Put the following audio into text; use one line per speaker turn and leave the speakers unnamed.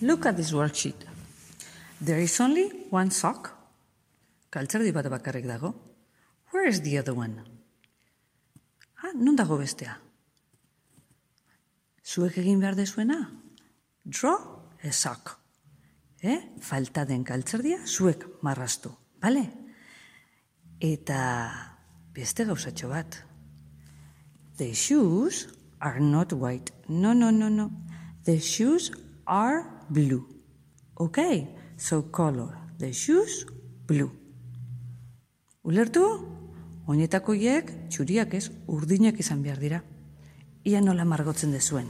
Look at this worksheet. There is only one sock. Galtzerdi bat bakarrik dago. Where is the other one? Non dago bestea? Zuek egin behar dezuena? Draw a sock. Falta den galtzerdia zuek marraztu, bale? Eta beste gauzatxo bat. The shoes are not white. No. The shoes are blue. Okay, so color the shoes blue. Ulertu? Oinetako hiek txuriak ez, urdinak izan behar dira. Ia nola margotzen dezuen.